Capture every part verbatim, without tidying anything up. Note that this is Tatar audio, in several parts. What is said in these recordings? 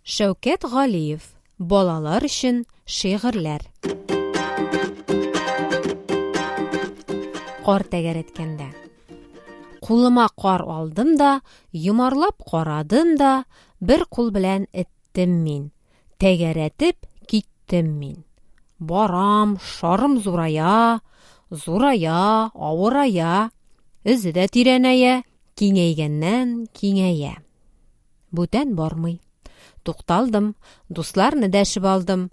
Шәүкәт Галиев. Балалар өчен шигырьләр. Кар тәгәрәткәндә. Кулыма кар алдым да, йомарлап карадым да, бер кул белән эттем мин. Тәгәрәтеп киттем мин. Барам, шарым зурая, зурая, авырая, эзе дә тирәнәя, киңәйгәннән киңәя. Бүтән бармый. Тукталдым, дусларны дәшеп алдым.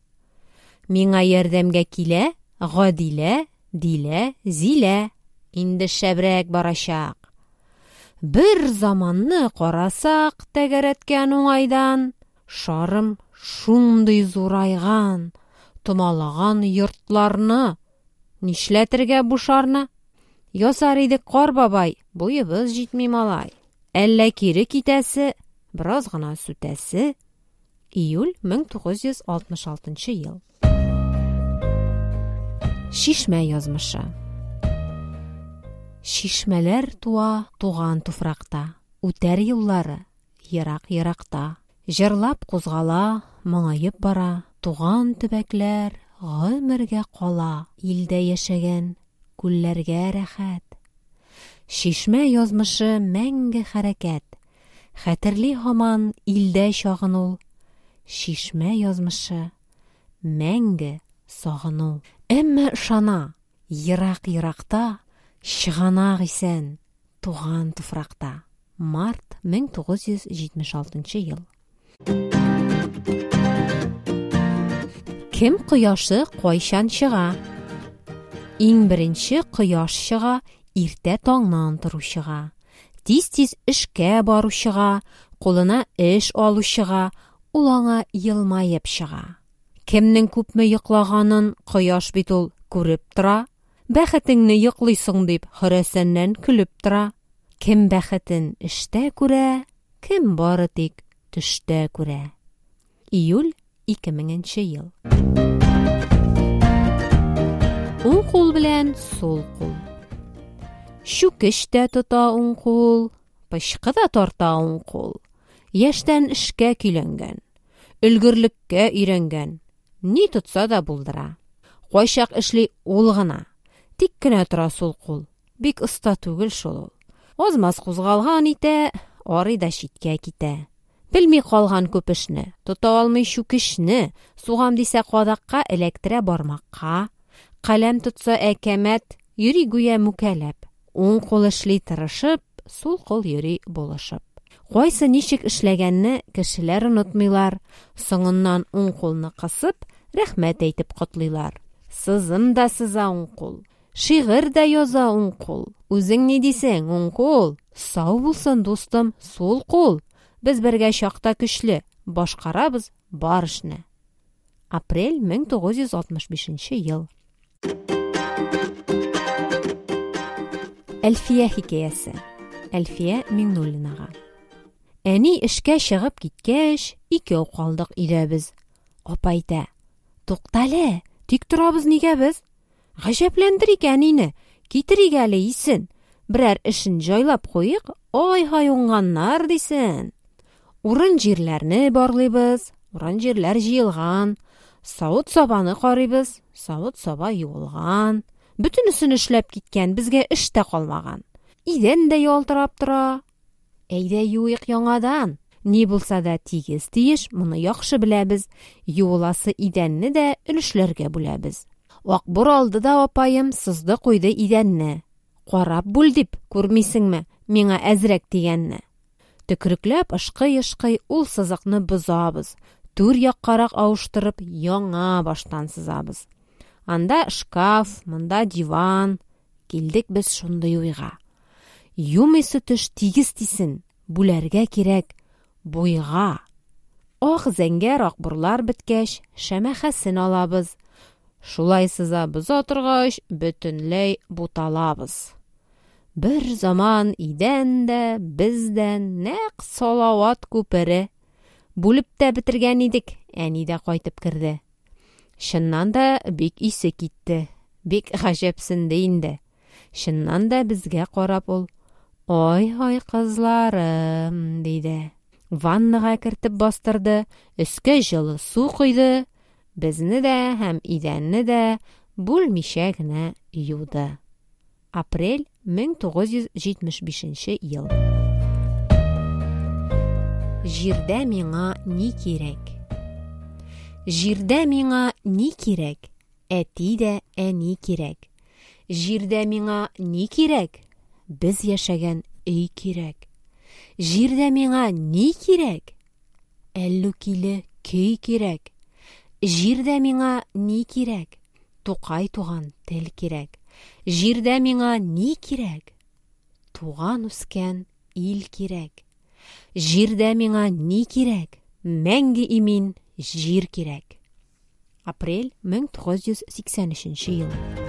Миңа ярдәмгә килә Гадилә, Дилә, Зилә. Инде шәбрәк барачак. Бер заманны карасак, тәгәрәткән уңайдан, шарым шундый зурайган, томалаган йортларны. Нишләтергә бу шарны? Ясар идек кар бабай, буебыз җитми малай. Әллә кире китәсе, бераз гына сүтәсе. Июль мең тугыз йөз алтмыш алтынчы ел. Чишмә язмышы. Чишмәләр туа туган туфракта, үтәр юллары ерак-еракта. Җырлап кузгала, моңаеп бара, туган төбәкләр гомергә кала, илдә яшәгән күлләргә рәхәт. Чишмә язмышы мәңге хәрәкәт, хәтерли һаман илдә чагын ул. Чишмә язмышы мәңге сагыну. Әмма ышана, ерак-еракта чыганак исән туган туфракта. Март мең тугыз йөз җитмеш алтынчы ел. Кем кояшы кайчан чыга? Иң беренче кояш чыга иртә таңнан торучыга, тиз-тиз эшкә баручыга, кулына эш алучыга, ул аңа елмаеп чыга. Кемнең күпме йоклаганын кояш бит ул күреп тора. Бәхетеңне йоклыйсың дип хөрәсәннән көлеп тора. Кем бәхетен эштә күрә, кем бары тик төштә күрә. Июль ике меңенче ел. Уң кул белән сул кул. Чүкеч тә тота уң кул, пычкы да тарта уң кул. Яшьтән эшкә көйләнгән, өлгерлеккә өйрәнгән, ни тотса да булдыра. Кайчак эшли ул гына, тик кенә тора сул кул. Бик оста түгел шул ул. Азмаз кузгалган итә, арый да читкә китә. Белми калган күп эшне, тота алмый чүкечне, сугам дисә кадакка, эләктерә бармакка. Каләм тотса әкәмәт, йөри гүя мүкәләп. Уң кул эшли тырышып, сул кул йөри булышып. Кайсы ничек эшләгәнне кешеләр онытмыйлар. Соңыннан уң кулны кысып, рәхмәт әйтеп котлыйлар. Сызым да сыза уң кул, шигырь дә яза уң кул. Үзең ни дисең, уң кул? Сау булсын, дустым, сул кул. Без бергә чакта көчле, башкарабыз бар эшне. Апрель мең тугыз йөз алтмыш бишенче ел. Әлфия хикәясе. Әлфия Миңнуллинага. Әни эшкә чыгып киткәч, икәү калдык өйдә без. Апа әйтә: Туктале, тик торабыз нигә без? Гаҗәпләндерик әнине, китерик әле исен. Берәр эшен җайлап куйыйк, ай-һай уңганнар дисен. Урын җирләрне барлыйбыз, урын җирләр җыелган. Савыт-сабаны карыйбыз, савыт-саба юылган. Бөтенесен эшләп киткән, безгә эш тә калмаган. Идән дә ялтырап тора. Әйдә юыйк яңадан. Ни булса да тигез тиеш, моны яхшы беләбез. Юыласы идәнне дә өлешләргә бүләбез. Акбур алды да апаем сызды куйды идәнне. Карап бүл дип, күрмисеңме, миңа әзрәк дигәнне. Төкрекләп ышкый-ышкый ул сызыкны бозабыз. Түр яккарак авыштырып яңа баштан сызабыз. Анда шкаф, монда диван. Килдек без шундый уйга. Юмыйсы төш тигез тисен, бүләргә кирәк буйга. Ак зәңгәр акбурлар беткәч, шәмәхәсен алабыз. Шулай сыза боза торгач, бөтенләй буталабыз. Бер заман идән дә, без дә нәкъ Салават күпере. Бүлеп тә бетергән идек, әни дә кайтып керде. Чыннан да бик исе китте, бик гаҗәпсенде инде. Чыннан да безгә карап ул: Ай-һай кызларым, диде. Ваннага кертеп бастырды, өскә җылы су койды, безне дә һәм идәнне дә бүлмичә генә юды. Апрель мең тугыз йөз җитмеш бишенче ел. Җирдә миңа ни кирәк? Җирдә миңа ни кирәк? Әти дә әни кирәк. Җирдә миңа ни кирәк? Без яшәгән өй кирәк. Җирдә миңа ни кирәк? Әллүкиле көй кирәк. Җирдә миңа ни кирәк? Тукай туган тел кирәк. Җирдә миңа ни кирәк? Туган үскән ил кирәк. Җирдә миңа ни кирәк? Мәңге имин җир кирәк. Апрель мең тугыз йөз сиксән өченче ел.